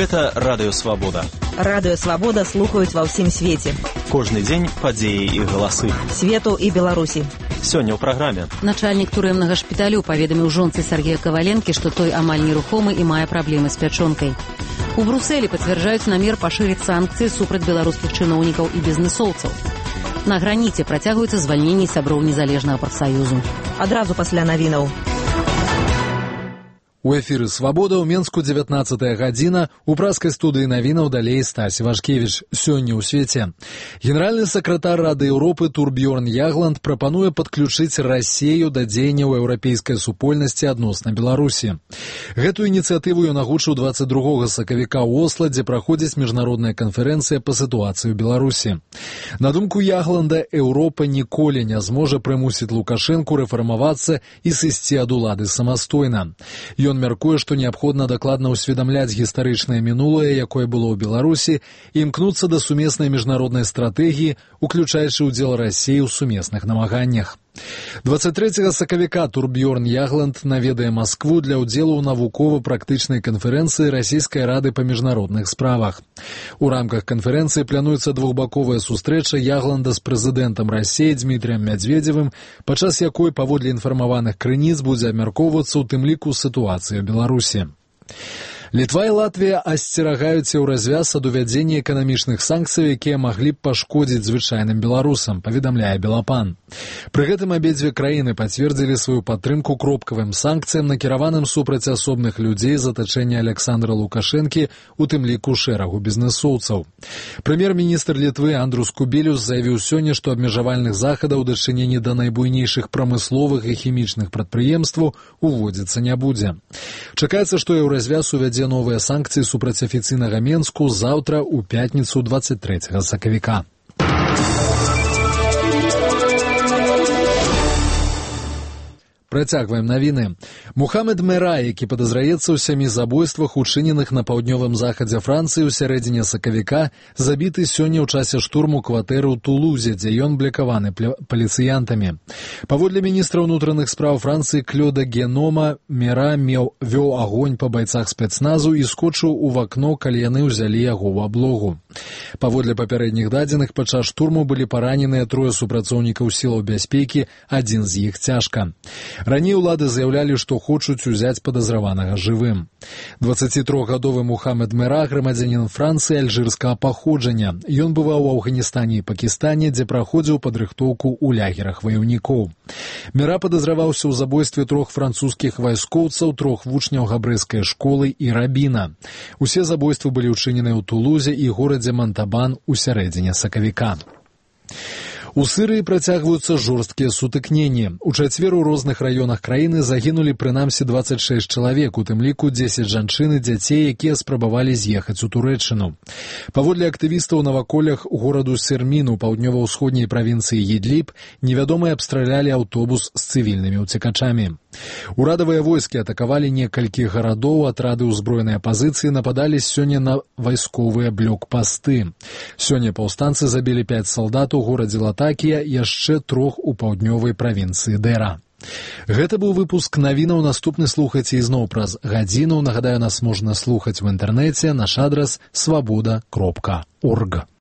Гэта Радыё Свабода. Радыё Свабода слухаюць ва ўсім свеце. Кожны дзень падзеі і галасы. Свету і Беларусі. Сёння ў праграме. Начальнік турэмнага шпіталю паведаміў жонцы Сергея Каваленкі, што той амаль нерухомы і мае праблемы з пячонкай. У Брусэлі пацвярджаюць намер пашырыць санкцыі супраць беларускіх чыноўнікаў і бізнэсоўцаў. На граніце працягваюцца звальненні сяброў незалежнага прафсаюзу. Адразу пасля навінаў. У эфіры «Свабода» ў Менску 19 гадзіна. У праскай студыі навінаў далей Стась Вашкевіч. Сёння ў свеце. Генеральны сакратар Рады Еўропы Турбьёрн Ягланд прапануе падключыць Расею да дзеянняў еўрапейскай супольнасці адносна Беларусі. Гэтую ініцыятыву ён агучыў 22 сакавіка ў Осла, дзе праходзіць міжнародная канферэнцыя па сітуацыі ў Беларусі. На думку Ягланда, Еўропа ніколі не зможа прымусіць Лукашэнку рэфармавацца і сысці ад улады самастойна. Ён мяркуе, што неабходна дакладна ўсведамляць гістарычнае мінулае, якое было ў Беларусі, і імкнуцца да сумеснай міжнароднай стратэгіі, уключаючы ўдзел Расіі ў сумесных намаганнях. 23 сакавіка Турбьёрн Ягланд наведае Маскву для ўдзелу ў навукова-практычнай канферэнцыі Расійскай рады па міжнародных справах. У рамках канферэнцыі плануецца двухбаковая сустрэча Ягланда з прэзідэнтам Расіі Дмітрыем Мядзведзевым, падчас якой, паводле інфармаваных крыніц, будзе абмяркоўвацца ў тым ліку сітуацыя ў Беларусі. Літва і Латвія асцерагаюцца ў развяз ад увядзення эканамічных санкцый, якія маглі б пашкодзіць звычайным беларусам, паведамляе Белапан. Пры гэтым абедзве краіны пацвердзілі сваю падтрымку кропкавым санкцыям, накіраваным супраць асобных людзей з атачэння Александра Лукашэнкі, у тым ліку шэрагу бізнэсоўцаў. Прэм'ер-міністр Літвы Андрус Кубелюс заявіў сёння, што абмежавальных захадаў у дачыненні да найбуйнейшых прамысловых і хімічных прадпрыемстваў уводзіцца не будзе. Чакаецца, што еўразвяз увядзе новыя санкцыі супраць афіцыйнага Менску заўтра ў пятніцу 23 сакавіка. Працягваем навіны. Мухаммед Мера, які падазраецца ў 7 забойствах, учыненых на паўднёвым захадзе Францыі ў сярэдзіне сакавіка, забіты сёння ў часе штурму кватэры ў Тулузе, дзе ён блякаваны паліцыянтамі. Паводле міністра ўнутраных спраў Францыі Клёда Генома, Мера вёў агонь па байцах спецназу і скочыў у вакно, калі яны ўзялі яго ў аблогу. Паводле папярэдніх дадзеных, падчас штурму былі параненыя 3 супрацоўнікаў сілаў бяспекі, адзін з іх цяжка. Раней улады заявлялі, што хочуць узяць падазраванага жывым. 23-гадовы Мухаммед Мера, грамадзянін Францыі альжырскага паходжання. Ён бываў у Афганістане і Пакістане, дзе праходзіў падрыхтоўку ў лагерах ваяўнікоў. Мера падазраваўся ў забойстве 3 французскіх вайскоўцаў, 3 вучняў габрэйскай школы і рабіна. Усе забойствы былі ўчынены ў Тулузе і горадзе Монтабан у сярэдзіне сакавіка. У Сырыі працягваюцца жорсткія сутыкненні. У чацвер у розных раёнах краіны загінулі прынамсі 26 чалавек, у тым ліку 10 жанчын і дзяцей, якія спрабавалі з'ехаць у Турэччыну. Паводле актывістаў на ваколлях гораду Сермін у паўднёва-ўсходняй правінцыі Ідліб невядомыя абстралялі аўтобус з цывільнымі ўцекачамі. Урадавыя войскі атакавалі некалькі гарадоў, атрады ўзброенай апазіцыі нападалі сёння на вайсковыя блокпасты. Сёння паўстанцы забілі 5 салдат у горадзе Латакія, яшчэ 3 у паўднёвай правінцыі Дэра. Гэта быў выпуск навінаў. Наступны слухайце ізноў праз гадзіну. Нагадаю, нас можна слухаць у інтэрнэце. Наш адрас свабода.орг.